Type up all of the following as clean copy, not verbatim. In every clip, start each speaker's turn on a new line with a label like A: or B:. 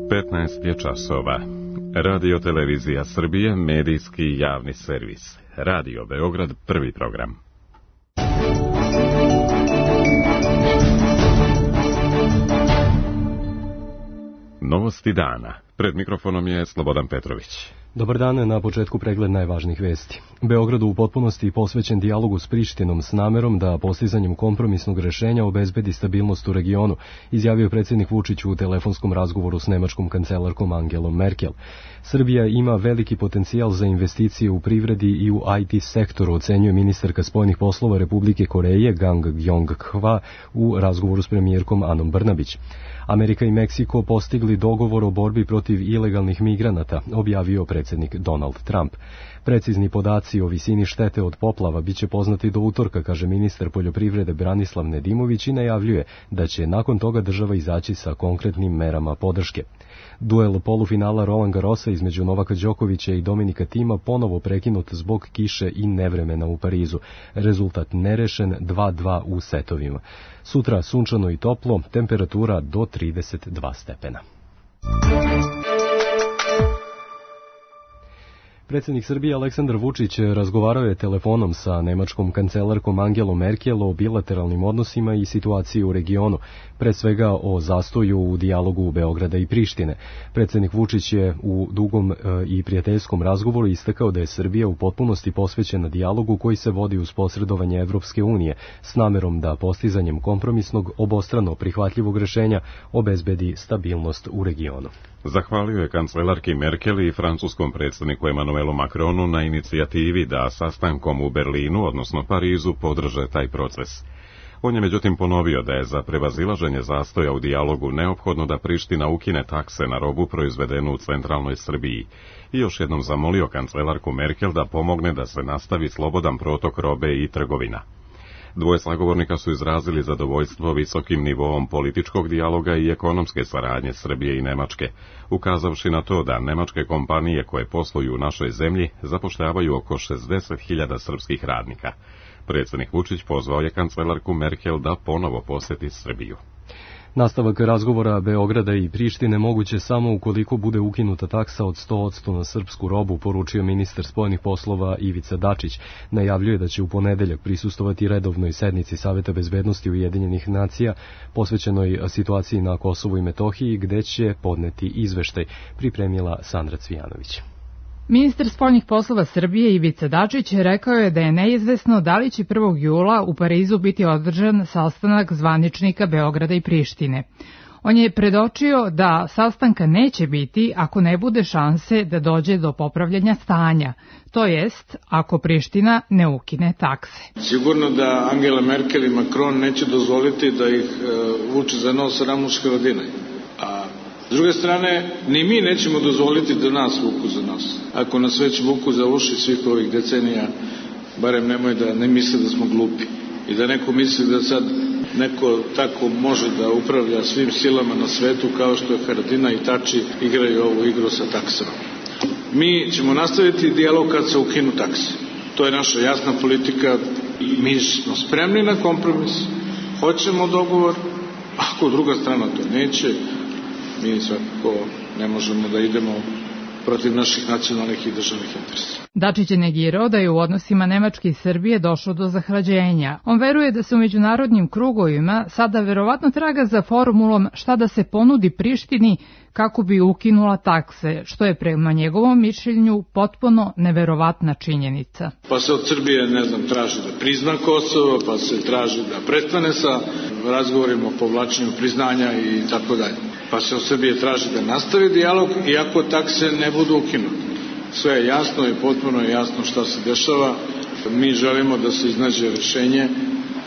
A: 15 je časova. Radio Televizija Srbije, medijski javni servis. Radio Beograd, prvi program. Novosti dana. Pred mikrofonom je Slobodan Petrović.
B: Dobar dan, na početku pregled najvažnijih vesti. Beogradu u potpunosti posvećen dijalogu s Prištinom s namerom da postizanjem kompromisnog rešenja obezbedi stabilnost u regionu, izjavio je predsjednik Vučić u telefonskom razgovoru s nemačkom kancelarkom Angelom Merkel. Srbija ima veliki potencijal za investicije u privredi i u IT sektoru, ocenjuje ministarka spoljnih poslova Republike Koreje Gang Yong-hwa u razgovoru s premijerkom Anom Brnabić. Amerika i Meksiko postigli dogovor o borbi protiv ilegalnih migranata, objavio predsjednik Donald Trump. Precizni podaci o visini štete od poplava biće poznati do utorka, kaže ministar poljoprivrede Branislav Nedimović i najavljuje da će nakon toga država izaći sa konkretnim merama podrške. Duel polufinala Roland Garrosa između Novaka Đokovića i Dominika Thima ponovo prekinut zbog kiše i nevremena u Parizu. Rezultat nerešen 2:2 u setovima. Sutra sunčano i toplo, temperatura do 32 stepena. Predsjednik Srbije Aleksandar Vučić razgovarao je telefonom sa nemačkom kancelarkom Angelom Merkel o bilateralnim odnosima i situaciji u regionu, pre svega o zastoju u dijalogu Beograda i Prištine. Predsjednik Vučić je u dugom i prijateljskom razgovoru istakao da je Srbija u potpunosti posvećena dijalogu koji se vodi uz posredovanje Evropske unije, s namerom da postizanjem kompromisnog, obostrano prihvatljivog rešenja obezbedi stabilnost u regionu.
A: Zahvalio je kancelarki Merkel i francuskom predsjedniku Emmanuelu Macronu na inicijativi da sastankom u Berlinu, odnosno Parizu, podrže taj proces. On je međutim ponovio da je za prevazilaženje zastoja u dijalogu neophodno da Priština ukine takse na robu proizvedenu u centralnoj Srbiji i još jednom zamolio kancelarku Merkel da pomogne da se nastavi slobodan protok robe i trgovina. Dvoje sagovornika su izrazili zadovoljstvo visokim nivoom političkog dijaloga i ekonomske saradnje Srbije i Nemačke, ukazavši na to da nemačke kompanije koje posluju u našoj zemlji zapošljavaju oko 60.000 srpskih radnika. Predsjednik Vučić pozvao je kancelarku Merkel da ponovo posjeti Srbiju.
B: Nastavak razgovora Beograda i Prištine moguće samo ukoliko bude ukinuta taksa od 100% na srpsku robu, poručio ministar spoljnih poslova Ivica Dačić. Najavljuje da će u ponedeljak prisustvovati redovnoj sednici Saveta bezbednosti Ujedinjenih nacija posvećenoj situaciji na Kosovu i Metohiji, gde će podneti izveštaj, pripremila Sandra Cvijanović.
C: Ministar spoljnih poslova Srbije Ivica Dačić rekao je da je neizvesno da li će 1. jula u Parizu biti održan sastanak zvaničnika Beograda i Prištine. On je predočio da sastanka neće biti ako ne bude šanse da dođe do popravljanja stanja, to jest ako Priština ne ukine takse.
D: Sigurno da Angela Merkel i Macron neće dozvoliti da ih vuče za nos Ramuš Haradinaj. S druge strane, ni mi nećemo dozvoliti da nas vuku za nos. Ako nas već vuku za uši svih ovih decenija, barem nemoj da ne misle da smo glupi. I da neko misli da sad neko tako može da upravlja svim silama na svetu kao što je Haradinaj i Tači igraju ovu igru sa taksama. Mi ćemo nastaviti dijalog kad se ukinu takse. To je naša jasna politika. Mi smo spremni na kompromis, hoćemo dogovor, ako druga strana to neće, mi svakako ne možemo da idemo protiv naših nacionalnih i državnih interesa.
C: Dačić je negirao da je u odnosima Nemačke i Srbije došlo do zahlađenja. On veruje da se u međunarodnim krugovima sada verovatno traga za formulom šta da se ponudi Prištini kako bi ukinula takse, što je prema njegovom mišljenju potpuno neverovatna činjenica.
D: Pa se od Srbije, traži da prizna Kosovo, pa se traži da prestane sa razgovorima o povlačenju priznanja i tako dalje. Pa se od Srbije traži da nastavi dijalog iako takse ne budu ukinute. Sve je jasno i potpuno je jasno šta se dešava. Mi želimo da se iznađe rešenje.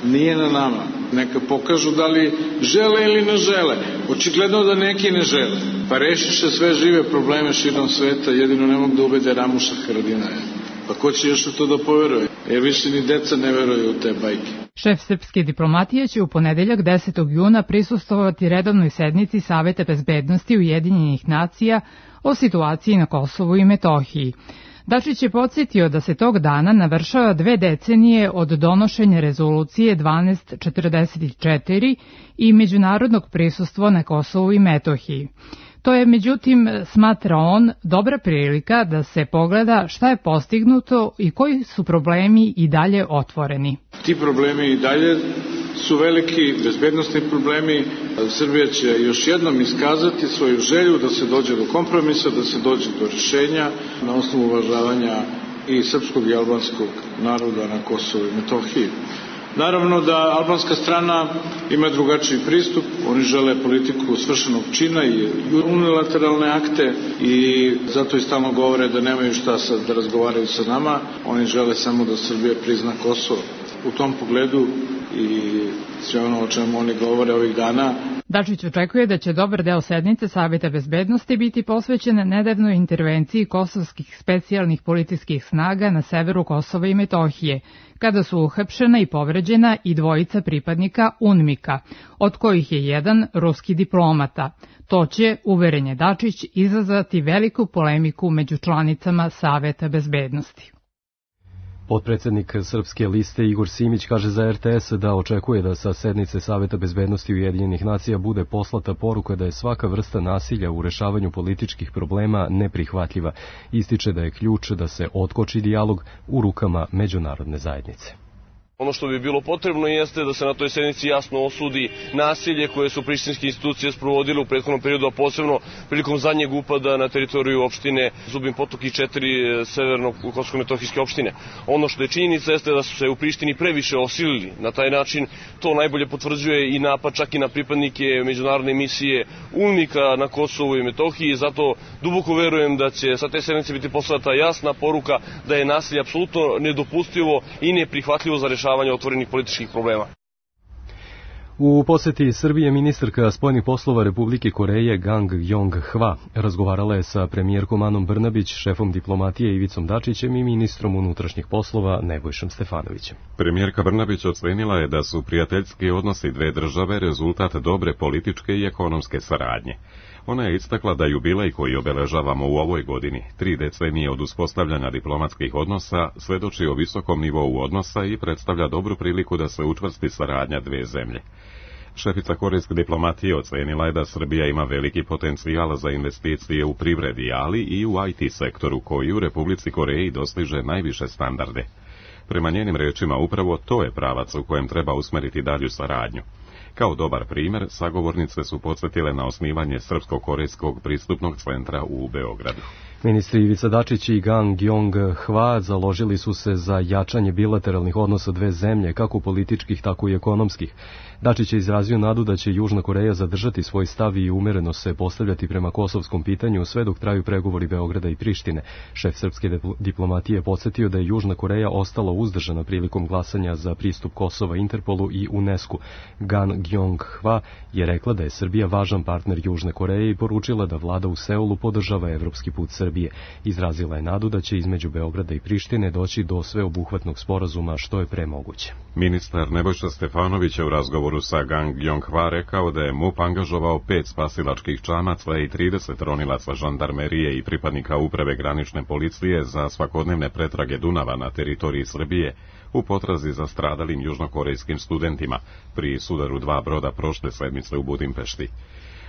D: Nije na nama. Neka pokažu da li žele ili ne žele. Očigledno da neki ne žele. Pa rešiše sve žive probleme širom sveta, jedino ne mogu da ubede Ramuša Haradinaja. Pa ko će još u to da poveruje? Jer više ni deca ne veruju u te bajke.
C: Šef srpske diplomatije će u ponedeljak 10. juna prisustvovati redovnoj sednici Saveta bezbednosti Ujedinjenih nacija o situaciji na Kosovu i Metohiji. Dačić je podsjetio da se tog dana navršava 2 decenije od donošenja rezolucije 1244 i međunarodnog prisustva na Kosovu i Metohiji. To je, međutim, smatra on, dobra prilika da se pogleda šta je postignuto i koji su problemi i dalje otvoreni.
D: Ti problemi i dalje su veliki bezbednosni problemi. Srbija će još jednom iskazati svoju želju da se dođe do kompromisa, da se dođe do rješenja na osnovu uvažavanja i srpskog i albanskog naroda na Kosovu i Metohiji. Naravno da albanska strana ima drugačiji pristup, oni žele politiku svršenog čina i unilateralne akte i zato i stalno govore da nemaju šta sad da razgovaraju sa nama, oni žele samo da Srbija prizna Kosovo. U tom pogledu i sve ono o čemu oni govore ovih dana.
C: Dačić očekuje da će dobar deo sednice Saveta bezbednosti biti posvećen nedavnoj intervenciji kosovskih specijalnih policijskih snaga na severu Kosova i Metohije, kada su uhapšena i povređena i dvojica pripadnika UNMIK-a, od kojih je jedan ruski diplomata. To će, uveren je Dačić, izazvati veliku polemiku među članicama Saveta bezbednosti.
B: Potpredsednik Srpske liste Igor Simić kaže za RTS da očekuje da sa sednice Saveta bezbednosti Ujedinjenih nacija bude poslata poruka da je svaka vrsta nasilja u rešavanju političkih problema neprihvatljiva. Ističe da je ključ da se otkoči dijalog u rukama međunarodne zajednice.
E: Ono što bi bilo potrebno jeste da se na toj sednici jasno osudi nasilje koje su prištinske institucije sprovodile u prethodnom periodu, a posebno prilikom zadnjeg upada na teritoriju opštine Zubin Potok i 4 severno-kosovsko-metohijske opštine. Ono što je činjenica jeste da su se u Prištini previše osilili. Na taj način to najbolje potvrđuje i napad čak i na pripadnike međunarodne misije UNMIK-a na Kosovu i Metohiji. Zato duboko verujem da će sa te sednice biti poslata jasna poruka da je nasilje apsolutno nedopustivo i neprihvatljivo za rešavanje otvorenih političkih problema.
B: U poseti Srbije ministarka spoljnih poslova Republike Koreje Gang Yong-hwa razgovarala je sa premijerkom Anom Brnabić, šefom diplomatije Ivicom Dačićem i ministrom unutrašnjih poslova Nebojšom Stefanovićem.
A: Premijerka Brnabić ocenila je da su prijateljski odnosi dve države rezultat dobre političke i ekonomske saradnje. Ona je istakla da jubilej koji obeležavamo u ovoj godini, 3 decenije od uspostavljanja diplomatskih odnosa, svedoči o visokom nivou odnosa i predstavlja dobru priliku da se učvrsti saradnja dve zemlje. Šefica korejske diplomatije ocenila je da Srbija ima veliki potencijal za investicije u privredi, ali i u IT sektoru koji u Republici Koreji dostiže najviše standarde. Prema njenim rečima upravo to je pravac u kojem treba usmeriti dalju saradnju. Kao dobar primjer, sagovornice su podsjetile na osnivanje Srpsko-korejskog pristupnog centra u Beogradu.
B: Ministri Ivica Dačić i Gang Yong-hwa založili su se za jačanje bilateralnih odnosa dve zemlje, kako političkih, tako i ekonomskih. Dačić je izrazio nadu da će Južna Koreja zadržati svoj stav i umereno se postavljati prema kosovskom pitanju sve dok traju pregovori Beograda i Prištine. Šef srpske diplomatije podsjetio da je Južna Koreja ostala uzdržana prilikom glasanja za pristup Kosova Interpolu i UNESCO. Gang Yong-hwa je rekla da je Srbija važan partner Južne Koreje i poručila da vlada u Seulu podržava evropski put Srbije. Izrazila je nadu da će između Beograda i Prištine doći do sveobuhvatnog sporazuma što je pre moguće.
A: Ministar Nebojša Stefanović je u razgovoru sa Gang Yong-hwa rekao da je MUP angažovao 5 spasilačkih čamaca i 30 ronilaca žandarmerije i pripadnika uprave granične policije za svakodnevne pretrage Dunava na teritoriji Srbije u potrazi za stradalim južnokorejskim studentima pri sudaru 2 broda prošle sedmice u Budimpešti.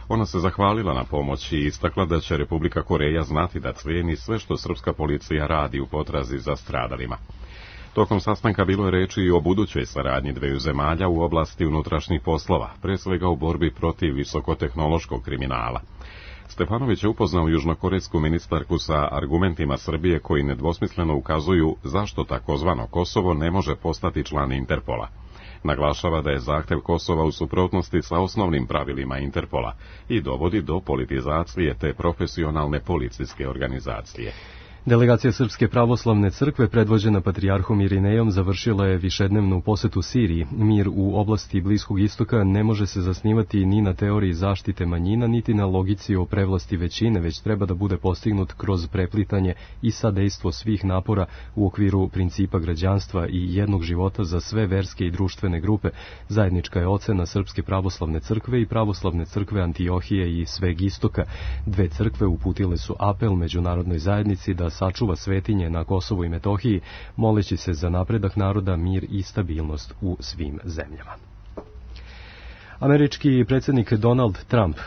A: Ona se zahvalila na pomoći i istakla da će Republika Koreja znati da cijeni sve što srpska policija radi u potrazi za stradalima. Tokom sastanka bilo je reči i o budućoj saradnji dveju zemalja u oblasti unutrašnjih poslova, pre svega u borbi protiv visokotehnološkog kriminala. Stefanović je upoznao južnokorejsku ministarku sa argumentima Srbije koji nedvosmisleno ukazuju zašto takozvano Kosovo ne može postati član Interpola. Naglašava da je zahtev Kosova u suprotnosti sa osnovnim pravilima Interpola i dovodi do politizacije te profesionalne policijske organizacije.
B: Delegacija Srpske pravoslavne crkve predvođena patrijarhom Irinejom završila je višednevnu posetu Siriji. Mir u oblasti Bliskog istoka ne može se zasnivati ni na teoriji zaštite manjina, niti na logici o prevlasti većine, već treba da bude postignut kroz preplitanje i sadejstvo svih napora u okviru principa građanstva i jednog života za sve verske i društvene grupe. Zajednička je ocena Srpske pravoslavne crkve i pravoslavne crkve Antiohije i Sveg istoka. Dve crkve uputile su apel međunarodnoj zajednici da sačuva svetinje na Kosovu i Metohiji, moleći se za napredak naroda, mir i stabilnost u svim zemljama. Američki predsjednik Donald Trump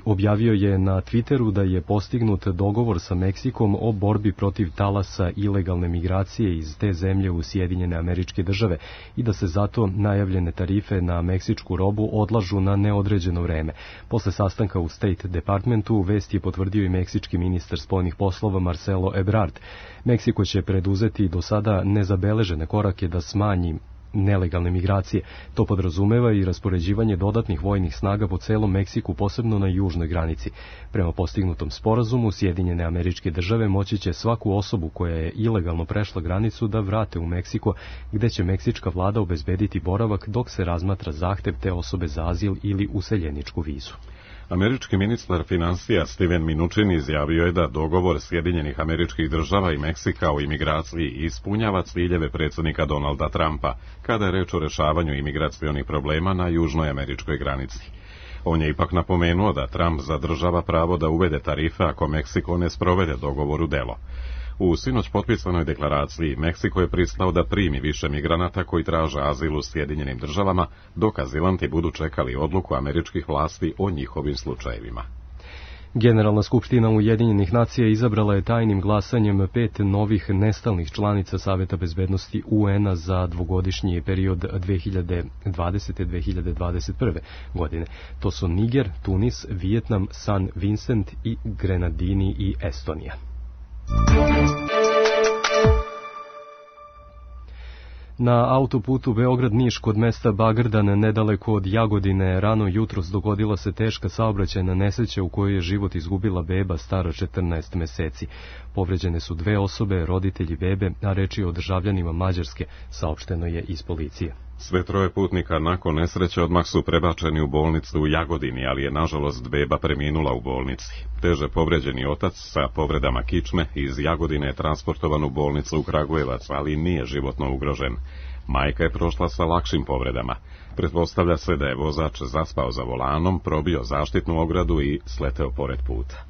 B: objavio je na Twitteru da je postignut dogovor sa Meksikom o borbi protiv talasa ilegalne migracije iz te zemlje u Sjedinjene Američke Države i da se zato najavljene tarife na meksičku robu odlažu na neodređeno vreme. Posle sastanka u State Departmentu vest je potvrdio i meksički ministar spoljnih poslova Marcelo Ebrard. Meksiko će preduzeti do sada nezabeležene korake da smanji nelegalne migracije. To podrazumeva i raspoređivanje dodatnih vojnih snaga po celom Meksiku, posebno na južnoj granici. Prema postignutom sporazumu, Sjedinjene Američke Države moći će svaku osobu koja je ilegalno prešla granicu da vrate u Meksiko, gde će meksička vlada obezbediti boravak dok se razmatra zahtev te osobe za azil ili useljeničku vizu.
A: Američki ministar finansija Steven Mnuchin izjavio je da dogovor Sjedinjenih Američkih Država i Meksika o imigraciji ispunjava ciljeve predsjednika Donalda Trumpa, kada je reč o rešavanju imigracionih problema na južnoj američkoj granici. On je ipak napomenuo da Trump zadržava pravo da uvede tarife ako Meksiko ne sprovede dogovor u delo. U sinoć potpisanoj deklaraciji Meksiko je pristao da primi više migranata koji traže azil u Sjedinjenim Državama, dok azilanti budu čekali odluku američkih vlasti o njihovim slučajevima.
B: Generalna skupština Ujedinjenih nacija izabrala je tajnim glasanjem 5 novih nestalnih članica Saveta bezbednosti UN-a za dvogodišnji period 2020-2021. godine. To su Niger, Tunis, Vijetnam, San Vincent i Grenadini i Estonija. Na autoputu Beograd-Niš kod mesta Bagrdan, nedaleko od Jagodine, rano jutros dogodila se teška saobraćajna nesreća u kojoj je život izgubila beba stara 14 meseci. Povređene su 2 osobe, roditelji bebe, a reč je o državljanima Mađarske, saopšteno je iz policije.
A: Sve 3 putnika nakon nesreće odmah su prebačeni u bolnicu u Jagodini, ali je nažalost beba preminula u bolnici. Teže povređeni otac sa povredama kičme iz Jagodine je transportovan u bolnicu u Kragujevac, ali nije životno ugrožen. Majka je prošla sa lakšim povredama. Pretpostavlja se da je vozač zaspao za volanom, probio zaštitnu ogradu i sleteo pored puta.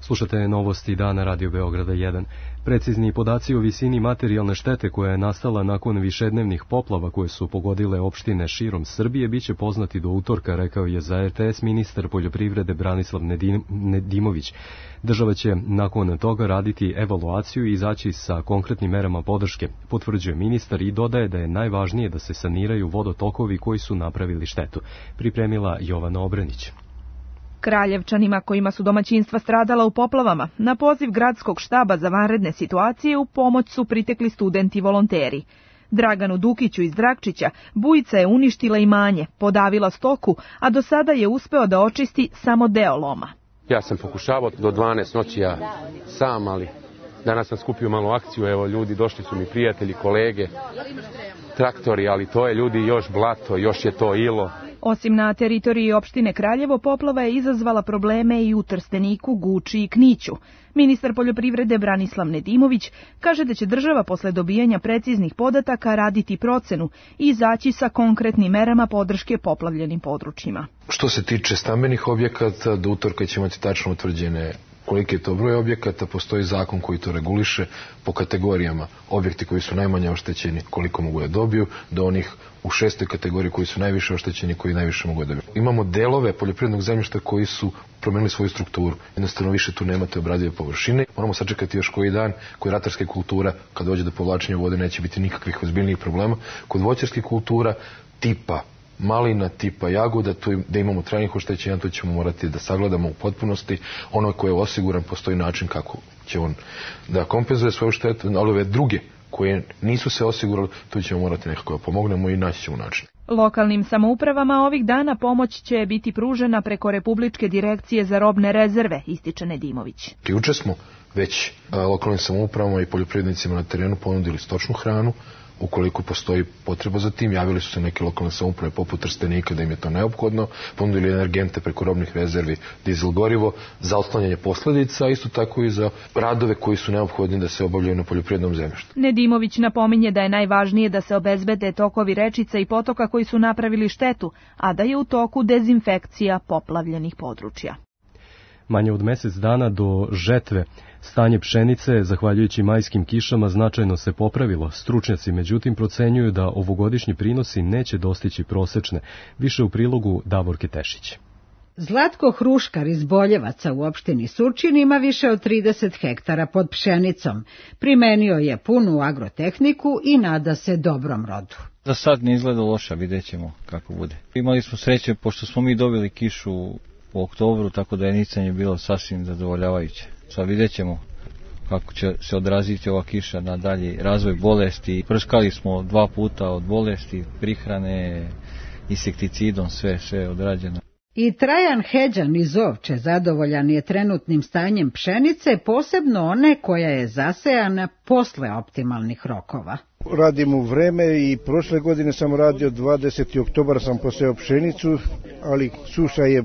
B: Slušate novosti dana Radio Beograda 1. Precizni podaci o visini materijalne štete koja je nastala nakon višednevnih poplava koje su pogodile opštine širom Srbije biće poznati do utorka, rekao je za RTS ministar poljoprivrede Branislav Nedimović. Država će nakon toga raditi evaluaciju i izaći sa konkretnim merama podrške, potvrđuje ministar i dodaje da je najvažnije da se saniraju vodotokovi koji su napravili štetu. Pripremila Jovana Obrenić.
F: Kraljevčanima kojima su domaćinstva stradala u poplavama, na poziv gradskog štaba za vanredne situacije u pomoć su pritekli studenti volonteri. Draganu Dukiću iz Drakčića bujica je uništila imanje, podavila stoku, a do sada je uspeo da očisti samo deo loma.
G: Ja sam pokušavao do 12 noći sam, ali danas sam skupio malo akciju, evo ljudi, došli su mi prijatelji, kolege, traktori, ali to je ljudi još blato, još je to ilo.
F: Osim na teritoriji opštine Kraljevo, poplava je izazvala probleme i u Trsteniku, Guči i Kniću. Ministar poljoprivrede Branislav Nedimović kaže da će država posle dobijanja preciznih podataka raditi procenu i izaći sa konkretnim merama podrške poplavljenim područjima.
H: Što se tiče stambenih objekata, do utorka ćemo imati tačno utvrđene koliki je to broj objekata, postoji zakon koji to reguliše po kategorijama. Objekti koji su najmanje oštećeni, koliko mogu da dobiju, do onih u 6. kategoriji koji su najviše oštećeni, koji najviše mogu da dobiju. Imamo delove poljoprivrednog zemljišta koji su promenili svoju strukturu. Jednostavno više tu nemate obradive površine. Moramo sačekati još koji dan, koji ratarske kultura, kad dođe do povlačenja vode, neće biti nikakvih ozbiljnijih problema. Kod voćarskih kultura, tipa malina, tipa jagoda, tu da imamo trajnih oštećenja, to ćemo morati da sagledamo u potpunosti. Ono koje je osiguran, postoji način kako će on da kompenzuje svoju štetu, ali ove druge koje nisu se osigurali, tu ćemo morati nekako da pomognemo i naći ćemo način.
F: Lokalnim samoupravama ovih dana pomoć će biti pružena preko Republičke direkcije za robne rezerve, ističe Nedimović.
H: Juče smo već lokalnim samoupravama i poljoprivrednicima na terenu ponudili stočnu hranu. Ukoliko postoji potreba za tim, javili su se neke lokalne samouprave poput Trstenika da im je to neophodno, ponudili energente preko robnih rezervi, dizel gorivo, za otklanjanje posledica, a isto tako i za radove koji su neophodni da se obavljaju na poljoprivrednom zemljištu.
F: Nedimović napominje da je najvažnije da se obezbede tokovi rečica i potoka koji su napravili štetu, a da je u toku dezinfekcija poplavljenih područja.
B: Manje od mjesec dana do žetve stanje pšenice, zahvaljujući majskim kišama, značajno se popravilo. Stručnjaci međutim procenjuju da ovogodišnji prinosi neće dostići prosečne. Više u prilogu Davorke Tešić.
I: Zlatko Hruškar iz Boljevaca u opštini Surčin ima više od 30 hektara pod pšenicom. Primenio je punu agrotehniku i nada se dobrom rodu.
J: Za sad ne izgleda loša, vidjet ćemo kako bude. Imali smo sreće pošto smo mi dobili kišu u oktobru, tako da je nicanje bilo sasvim zadovoljavajuće. Sad vidjet ćemo kako će se odraziti ova kiša na dalji razvoj bolesti. Prskali smo 2 puta od bolesti, prihrane, insekticidom, sve odrađeno.
I: I Trajan Heđan iz Ovče zadovoljan je trenutnim stanjem pšenice, posebno one koja je zasejana posle optimalnih rokova.
K: Radim u vreme i prošle godine sam radio 20. oktobar sam poseo pšenicu, ali suša je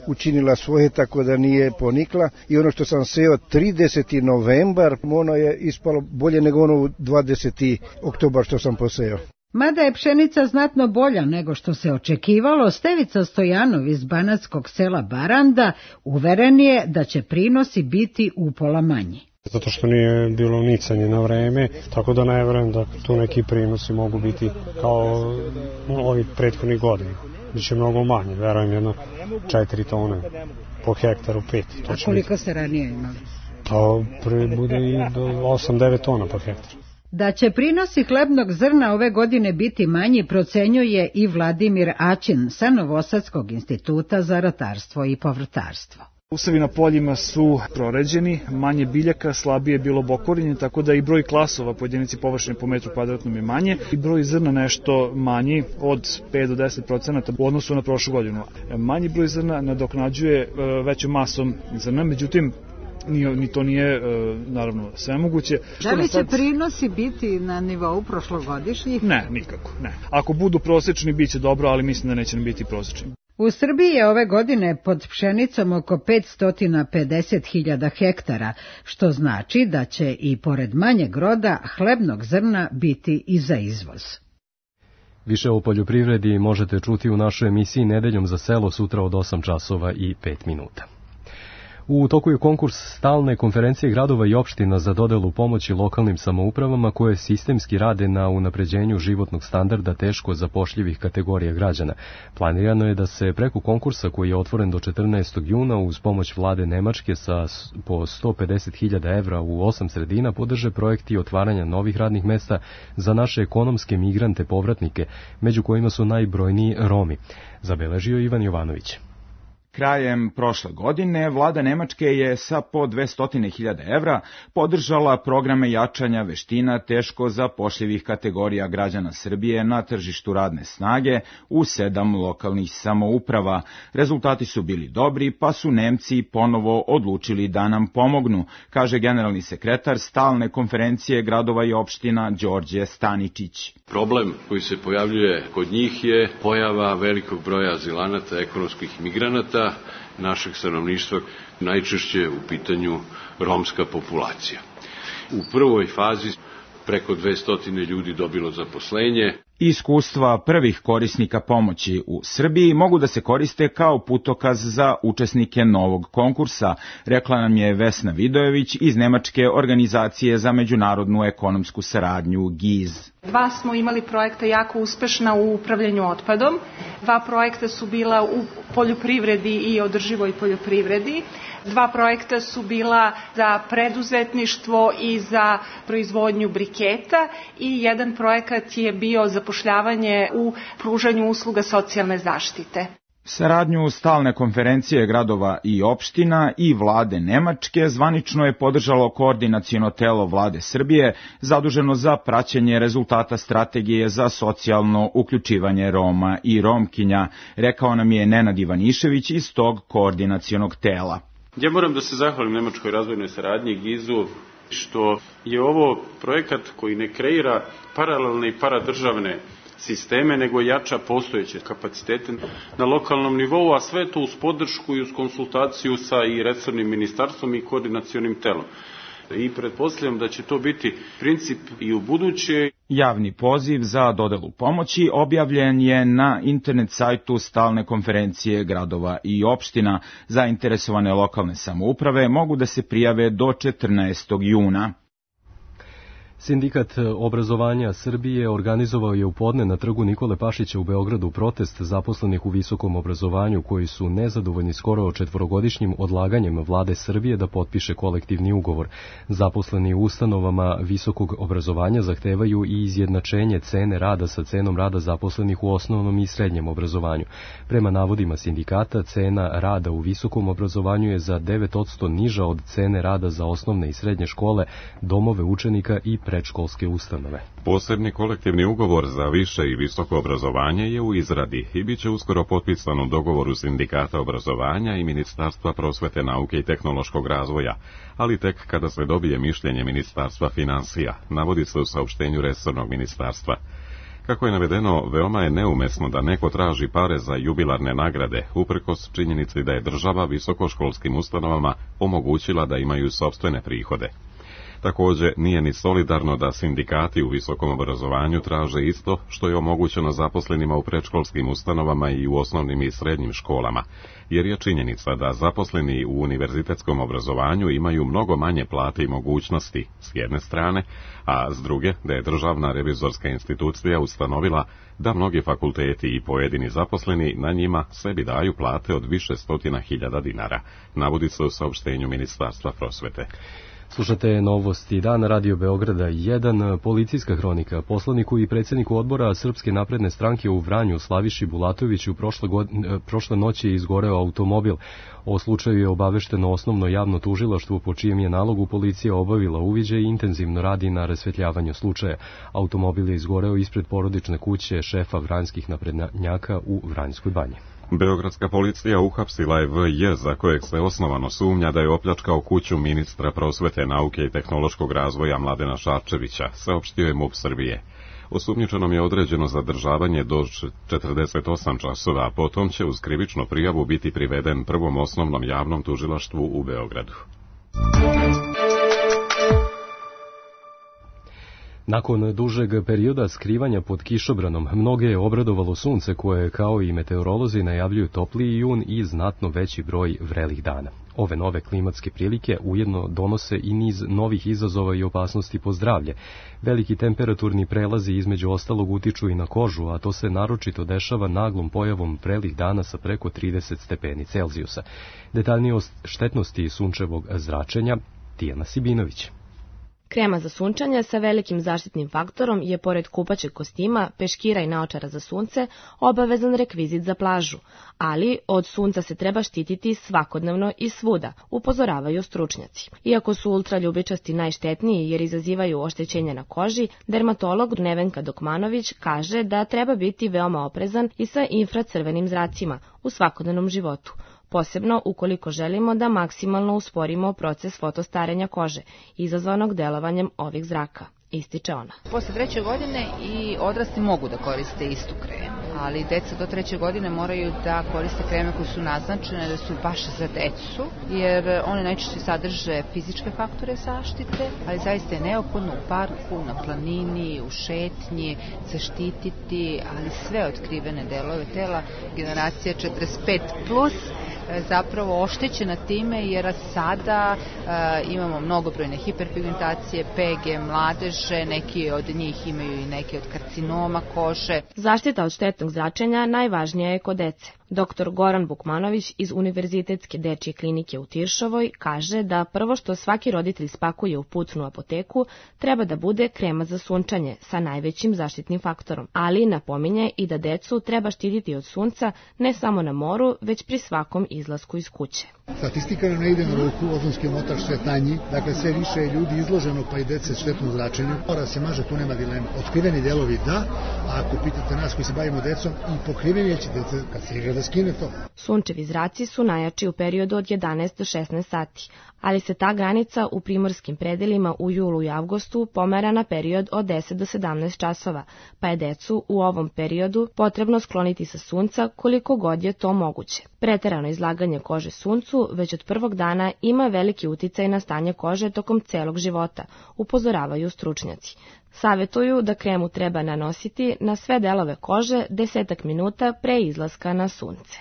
K: učinila svoje tako da nije ponikla i ono što sam seo 30. novembar, ono je ispalo bolje nego ono 20. oktobar što sam poseo.
I: Mada je pšenica znatno bolja nego što se očekivalo, Stevica Stojanov iz banatskog sela Baranda uveren je da će prinosi biti upola manji.
L: Zato što nije bilo nicanje na vreme, tako da ne verujem da tu neki prinosi mogu biti kao ovi prethodnih godina. Biće mnogo manje, verujem jedno 4 tone po hektaru, 5.
I: A koliko se ranije imali?
L: To bude i do 8-9 tona po hektaru.
I: Da će prinosi hlebnog zrna ove godine biti manji procenjuje i Vladimir Aćin sa Novosadskog instituta za ratarstvo i povrtarstvo.
M: Usevi na poljima su proređeni, manje biljaka, slabije bilo bokorinje, tako da i broj klasova po jedinici površine po metru kvadratnom je manje i broj zrna nešto manji od 5 do 10% u odnosu na prošlu godinu. Manji broj zrna nadoknađuje većom masom zrna, međutim ni to nije naravno svemoguće.
I: Da li će prinosi biti na nivou prošlogodišnjih?
M: Ne, nikako, ne. Ako budu prosečni, bit će dobro, ali mislim da neće biti prosečni.
I: U Srbiji je ove godine pod pšenicom oko 550.000 hektara, što znači da će i pored manjeg roda hlebnog zrna biti i za izvoz.
B: Više o poljoprivredi možete čuti u našoj emisiji Nedeljom za selo sutra od 8 časova i 5 minuta. U toku je konkurs stalne konferencije gradova i opština za dodelu pomoći lokalnim samoupravama koje sistemski rade na unapređenju životnog standarda teško zapošljivih kategorija građana. Planirano je da se preko konkursa koji je otvoren do 14. juna uz pomoć vlade Nemačke po 150.000 evra u 8 sredina podrže projekti otvaranja novih radnih mesta za naše ekonomske migrante povratnike, među kojima su najbrojniji Romi, zabeležio Ivan Jovanović.
N: Krajem prošle godine vlada Nemačke je sa po 200.000 evra podržala programe jačanja veština teško zapošljivih kategorija građana Srbije na tržištu radne snage u 7 lokalnih samouprava. Rezultati su bili dobri, pa su Nemci ponovo odlučili da nam pomognu, kaže generalni sekretar stalne konferencije gradova i opština Đorđe Staničić.
O: Problem koji se pojavljuje kod njih je pojava velikog broja azilanata, ekonomskih migranata, našeg stanovništva, najčešće u pitanju romska populacija. U prvoj fazi preko 200 ljudi dobilo zaposlenje.
N: Iskustva prvih korisnika pomoći u Srbiji mogu da se koriste kao putokaz za učesnike novog konkursa, rekla nam je Vesna Vidojević iz Nemačke organizacije za međunarodnu ekonomsku saradnju GIZ.
P: 2 smo imali projekta jako uspešna u upravljanju otpadom, 2 projekta su bila u poljoprivredi i održivoj poljoprivredi, 2 projekta su bila za preduzetništvo i za proizvodnju briketa i 1 projekat je bio zapošljavanje u pružanju usluga socijalne zaštite.
N: Saradnju stalne konferencije gradova i opština i vlade Nemačke zvanično je podržalo koordinaciono telo vlade Srbije zaduženo za praćenje rezultata strategije za socijalno uključivanje Roma i Romkinja, rekao nam je Nenad Ivanišević iz tog koordinacionog tela.
O: Ja moram da se zahvalim Nemačkoj razvojnoj saradnji GIZ-u što je ovo projekat koji ne kreira paralelne i paradržavne sisteme, nego jača postojeće kapacitete na lokalnom nivou, a sve to uz podršku i uz konsultaciju sa i resornim ministarstvom i koordinacionim telom. I pretpostavljam da će to biti princip i u buduće.
N: Javni poziv za dodelu pomoći objavljen je na internet sajtu Stalne konferencije gradova i opština. Zainteresovane lokalne samouprave mogu da se prijave do 14. juna.
B: Sindikat obrazovanja Srbije organizovao je u podne na trgu Nikole Pašića u Beogradu protest zaposlenih u visokom obrazovanju koji su nezadovoljni skoro četvorogodišnjim odlaganjem vlade Srbije da potpiše kolektivni ugovor. Zaposleni u ustanovama visokog obrazovanja zahtevaju i izjednačenje cene rada sa cenom rada zaposlenih u osnovnom i srednjem obrazovanju. Prema navodima sindikata, cena rada u visokom obrazovanju je za 9% niža od cene rada za osnovne i srednje škole, domove učenika i predškolske ustanove.
A: Posebni kolektivni ugovor za više i visoko obrazovanje je u izradi i bit će uskoro potpisan u dogovoru Sindikata obrazovanja i Ministarstva prosvete, nauke i tehnološkog razvoja, ali tek kada se dobije mišljenje Ministarstva finansija, navodi se u saopštenju resornog ministarstva. Kako je navedeno, veoma je neumesno da neko traži pare za jubilarne nagrade, uprkos činjenici da je država visokoškolskim ustanovama omogućila da imaju sopstvene prihode. Također, nije ni solidarno da sindikati u visokom obrazovanju traže isto što je omogućeno zaposlenima u predškolskim ustanovama i u osnovnim i srednjim školama, jer je činjenica da zaposleni u univerzitetskom obrazovanju imaju mnogo manje plate i mogućnosti, s jedne strane, a s druge da je Državna revizorska institucija ustanovila da mnogi fakulteti i pojedini zaposleni na njima sebi daju plate od više stotina hiljada dinara, navodi se u saopštenju Ministarstva prosvete.
B: Slušate Novosti dana Radio Beograda 1, policijska hronika. Poslaniku i predsjedniku odbora Srpske napredne stranke u Vranju Slaviši Bulatoviću prošle noći je izgoreo automobil. O slučaju je obavešteno osnovno javno tužilaštvo, po čijem je nalogu policija obavila uviđaj i intenzivno radi na rasvetljavanju slučaja. Automobil je izgoreo ispred porodične kuće šefa vranjskih naprednjaka u Vranjskoj banji.
A: Beogradska policija uhapsila je V.J. za kojeg se osnovano sumnja da je opljačkao kuću ministra prosvete, nauke i tehnološkog razvoja Mladena Šarčevića, saopštio je MUP Srbije. Osumnjičenom je određeno zadržavanje do 48 časova, a potom će uz krivičnu prijavu biti priveden Prvom osnovnom javnom tužilaštvu u Beogradu.
B: Nakon dužeg perioda skrivanja pod kišobranom, mnoge je obradovalo sunce koje, kao i meteorolozi, najavljuju topliji jun i znatno veći broj vrelih dana. Ove nove klimatske prilike ujedno donose i niz novih izazova i opasnosti po zdravlje. Veliki temperaturni prelazi između ostalog utiču i na kožu, a to se naročito dešava naglom pojavom vrelih dana sa preko 30 stepeni Celzijusa. Detaljnije o štetnosti sunčevog zračenja, Tijana Sibinović.
Q: Krema za sunčanje sa velikim zaštitnim faktorom je, pored kupaćeg kostima, peškira i naočara za sunce, obavezan rekvizit za plažu, ali od sunca se treba štititi svakodnevno i svuda, upozoravaju stručnjaci. Iako su ultraljubičasti najštetniji jer izazivaju oštećenja na koži, dermatolog Nevenka Dokmanović kaže da treba biti veoma oprezan i sa infracrvenim zracima u svakodnevnom životu, posebno ukoliko želimo da maksimalno usporimo proces fotostarenja kože, izazvanog delovanjem ovih zraka, ističe ona.
R: Posle 3. godine i odrasli mogu da koriste istu kremu, ali deca do 3. godine moraju da koriste kreme koje su naznačene da su baš za decu, jer one najčešće sadrže fizičke faktore zaštite, ali zaista je neophodno u parku, na planini, u šetnji, zaštititi, ali sve otkrivene delove tela, generacija 45+, zapravo oštećena time jer sada imamo mnogobrojne hiperpigmentacije, PG, mladeže, neki od njih imaju i neke od karcinoma kože.
Q: Zaštita od štetnog zračenja najvažnija je kod dece. Dr. Goran Bukmanović iz Univerzitetske dečje klinike u Tiršovoj kaže da prvo što svaki roditelj spakuje u pucnu apoteku treba da bude krema za sunčanje sa najvećim zaštitnim faktorom, ali napominje i da decu treba štititi od sunca ne samo na moru, već pri svakom izlasku iz kuće.
S: Statistika ne ide na ruku, ozonski omotač sve tanji, dakle sve više je ljudi izloženo, pa i dece štetnom zračenju. Mora se maže, tu nema dilema. Otkriveni delovi da, a ako pitate nas koji se bavimo decom, i pokriveni će dece kad se igra da skine to.
Q: Sunčevi zraci su najjači u periodu od 11 do 16 sati, ali se ta granica u primorskim predelima u julu i avgustu pomera na period od 10 do 17 časova, pa je decu u ovom periodu potrebno skloniti sa sunca koliko god je to moguće. Preterano izlaganje kože suncu već od prvog dana ima veliki uticaj na stanje kože tokom celog života, upozoravaju stručnjaci. Savjetuju da kremu treba nanositi na sve delove kože 10 minuta pre izlaska na sunce.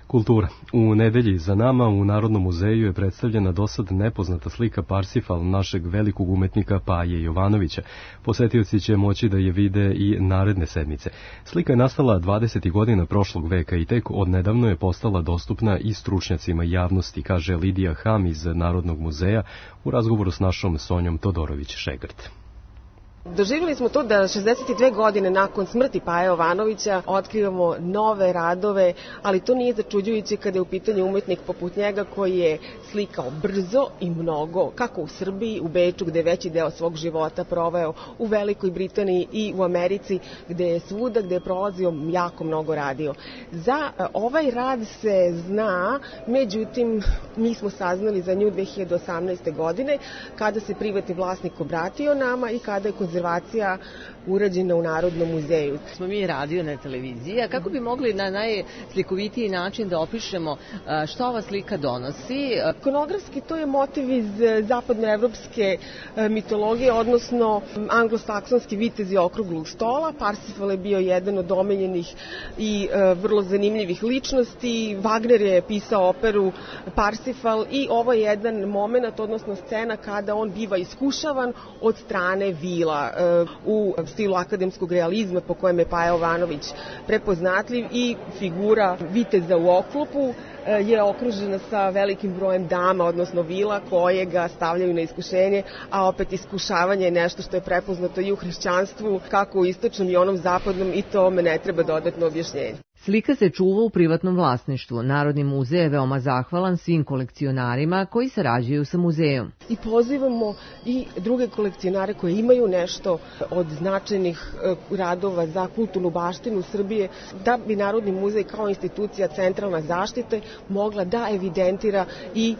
B: Kultura. U nedelji za nama u Narodnom muzeju je predstavljena dosad nepoznata slika Parsifal našeg velikog umetnika Paje Jovanovića. Posetioci će moći da je vide i naredne sedmice. Slika je nastala 20. godina prošlog veka i tek odnedavno je postala dostupna i stručnjacima javnosti, kaže Lidija Ham iz Narodnog muzeja u razgovoru s našom Sonjom Todorović-Šegrt.
T: Doživjeli smo to da 62 godine nakon smrti Paje Jovanovića otkrivamo nove radove, ali to nije začuđujuće kada je u pitanju umetnik poput njega koji je slikao brzo i mnogo, kako u Srbiji, u Beču gde je veći deo svog života proveo, u Velikoj Britaniji i u Americi gde je svuda, gde je prolazio jako mnogo radio. Za ovaj rad se zna, međutim mi smo saznali za nju 2018. godine kada se privatni vlasnik obratio nama i kada je konzervacija urađena u Narodnom muzeju.
U: Smo mi radio na televiziji, a kako bi mogli na najslikovitiji način da opišemo što ova slika donosi?
T: Ikonografski to je motiv iz zapadnoevropske mitologije, odnosno anglosaksonski vitezi okruglog stola. Parsifal je bio jedan od omiljenih i vrlo zanimljivih ličnosti. Wagner je pisao operu Parsifal i ovo je jedan moment, odnosno scena kada on biva iskušavan od strane vila u stilu akademskog realizma po kojem je Paja Jovanović prepoznatljiv i figura viteza u oklopu je okružena sa velikim brojem dama, odnosno vila koje ga stavljaju na iskušenje, a opet iskušavanje je nešto što je prepoznato i u hrišćanstvu, kako u istočnom i onom zapadnom, i tome ne treba dodatno objašnjenje.
U: Slika se čuva u privatnom vlasništvu. Narodni muzej je veoma zahvalan svim kolekcionarima koji sarađuju sa muzejom.
T: I pozivamo i druge kolekcionare koji imaju nešto od značajnih radova za kulturnu baštinu Srbije, da bi Narodni muzej kao institucija centralna zaštite mogla da evidentira i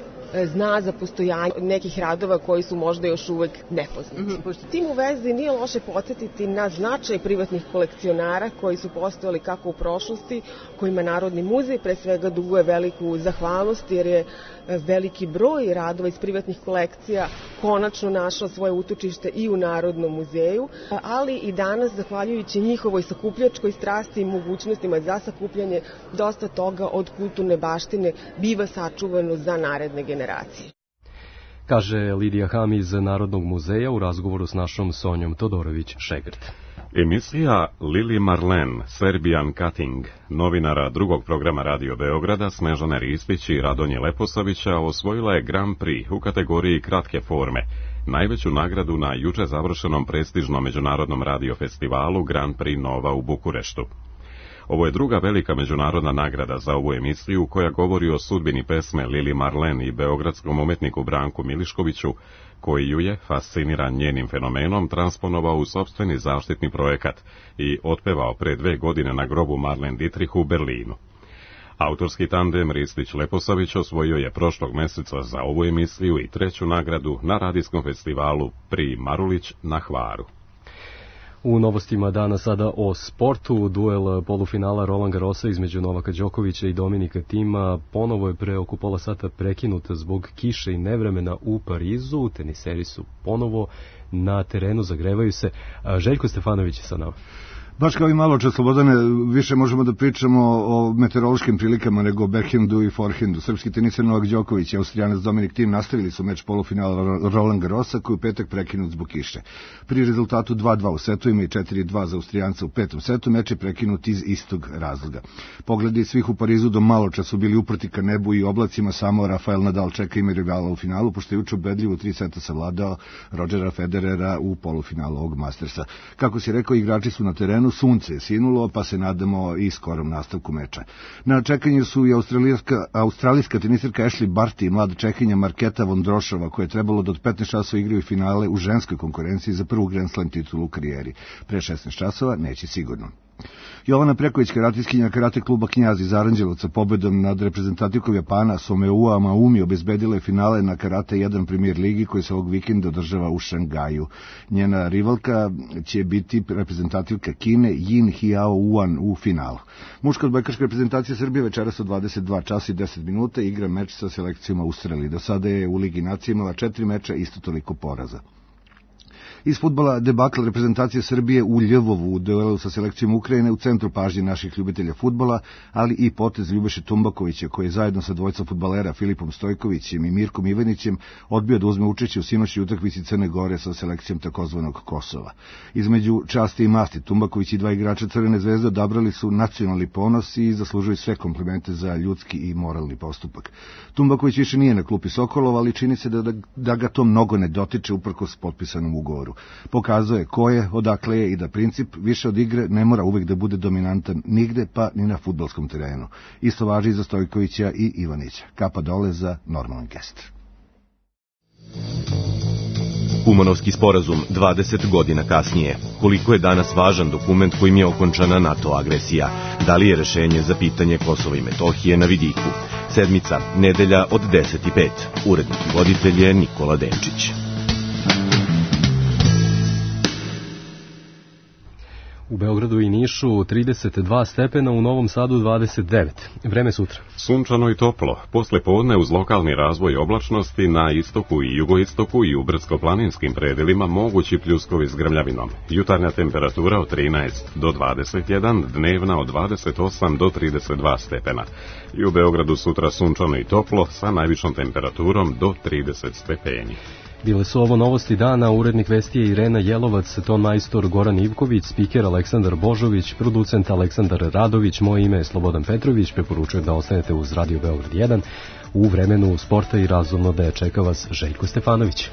T: zna za postojanje nekih radova koji su možda još uvek nepoznati. Pošto tim u vezi nije loše podsjetiti na značaj privatnih kolekcionara koji su postojali kako u prošlosti, kojima Narodni muzej pre svega duguje veliku zahvalnost, jer je veliki broj radova iz privatnih kolekcija konačno našao svoje utočište i u Narodnom muzeju, ali i danas, zahvaljujući njihovoj sakupljačkoj strasti i mogućnostima za sakupljanje, dosta toga od kulturne baštine biva sačuvano za naredne generacije.
B: Kaže Lidija Ham iz Narodnog muzeja u razgovoru s našom Sonjom Todorović-Šegrt.
A: Emisija Lili Marlen, Serbian Cutting, novinara drugog programa Radio Beograda Snežane Ristić i Radonje Leposavića osvojila je Grand Prix u kategoriji kratke forme, najveću nagradu na juče završenom prestižnom međunarodnom radiofestivalu Grand Prix Nova u Bukureštu. Ovo je druga velika međunarodna nagrada za ovu emisiju koja govori o sudbini pesme Lili Marlen i beogradskom umetniku Branku Miliškoviću, koji ju je, fasciniran njenim fenomenom, transponovao u sopstveni zaštitni projekat i otpevao pre 2 godine na grobu Marlen Dietrich u Berlinu. Autorski tandem Ristić-Leposavić osvojio je prošlog meseca za ovu emisiju i 3. nagradu na radijskom festivalu Pri Marulić na Hvaru.
B: U novostima dana sada o sportu. Duel polufinala Roland Garrosa između Novaka Đokovića i Dominika Tima ponovo je pre oko pola sata prekinut zbog kiše i nevremena u Parizu. Teniseri su ponovo na terenu, zagrevaju se. Željko Stefanović je sa nama.
V: Baš kao i malo čas, Slobodane, više možemo da pričamo o meteorološkim prilikama nego o backhandu i forehandu. Srpski teniser Novak Đoković i Austrijanac Dominik Thiem nastavili su meč polufinala Roland Garrosa koji u petak prekinut zbog kiše. Pri rezultatu 2-2 u setovima i 4-2 za Austrijanca u 5. setu meč je prekinut iz istog razloga. Pogledi svih u Parizu do malo čas su bili uprti ka nebu i oblacima, samo Rafael Nadal čeka ime rivala u finalu, pošto je juče ubedljivo 3 seta savladao Rodgera Federera u polufinalu ovog Mastersa. Kako si rekao, igrači su na terenu, sunce je sinulo, pa se nadamo i skorom nastavku meča. Na čekanju su i australijska teniserka Ashley Barty i mlada Čehinja Marketa Vondrošova, koja je trebalo da od 15 časova igraju finale u ženskoj konkurenciji za prvu Grand Slam titulu u karijeri. Pre 16 časova neće sigurno. Jovana Preković, karatistkinja karate kluba Knjaz iz Aranđelovca, pobedom nad reprezentativkom Japana Someua Maumi obezbedila je finale na Karate 1 Premier ligi koji se ovog vikenda održava u Šangaju. Njena rivalka će biti reprezentativka Kine Yin Hiao Uan u finalu. Muška odbojkaška reprezentacija Srbije večeras od 22 časa i 10 minuta igra meč sa selekcijom Australije. Do sada je u Ligi nacija imala 4 meča, isto toliko poraza. Iz fudbala debakl reprezentacije Srbije u Ljevovu u duelu sa selekcijom Ukrajine u centru pažnje naših ljubitelja fudbala, ali i potez Ljubeše Tumbakovića koji je zajedno sa dvojicom fudbalera Filipom Stojkovićem i Mirkom Ivanićem odbio da uzme učešće u sinoćnoj utakmici Crne Gore sa selekcijom takozvanog Kosova. Između časti i masti Tumbaković i dva igrača Crvene zvezde odabrali su nacionalni ponos i zaslužuju sve komplimente za ljudski i moralni postupak. Tumbaković više nije na klupi Sokolova, ali čini se da ga to mnogo ne dotiče uprkos potpisanom ugovoru. Pokazuje ko je, odakle je i da princip više od igre ne mora uvek da bude dominantan nigde, pa ni na fudbalskom terenu. Isto važi i za Stojkovića i Ivanića. Kapa dole za normalan gest.
C: Kumanovski sporazum 20 godina kasnije. Koliko je danas važan dokument kojim je okončana NATO agresija? Da li je rešenje za pitanje Kosova i Metohije na vidiku? Sedmica, nedelja od 10:05. Urednik i voditelj je Nikola Denčić.
B: U Beogradu i Nišu 32 stepena, u Novom Sadu 29. Vreme sutra.
A: Sunčano i toplo. Posle podne uz lokalni razvoj oblačnosti na istoku i jugoistoku i u brdsko-planinskim predelima mogući pljuskovi s grmljavinom. Jutarnja temperatura od 13 do 21, dnevna od 28 do 32 stepena. I u Beogradu sutra sunčano i toplo sa najvišom temperaturom do 30 stepeni.
B: Bile su ovo novosti dana, urednik vesti je Irena Jelovac, ton majstor Goran Ivković, spiker Aleksandar Božović, producent Aleksandar Radović, moje ime je Slobodan Petrović, preporučujem da ostanete uz Radio Beograd 1. U vremenu sporta i razumno da je čeka vas Željko Stefanović.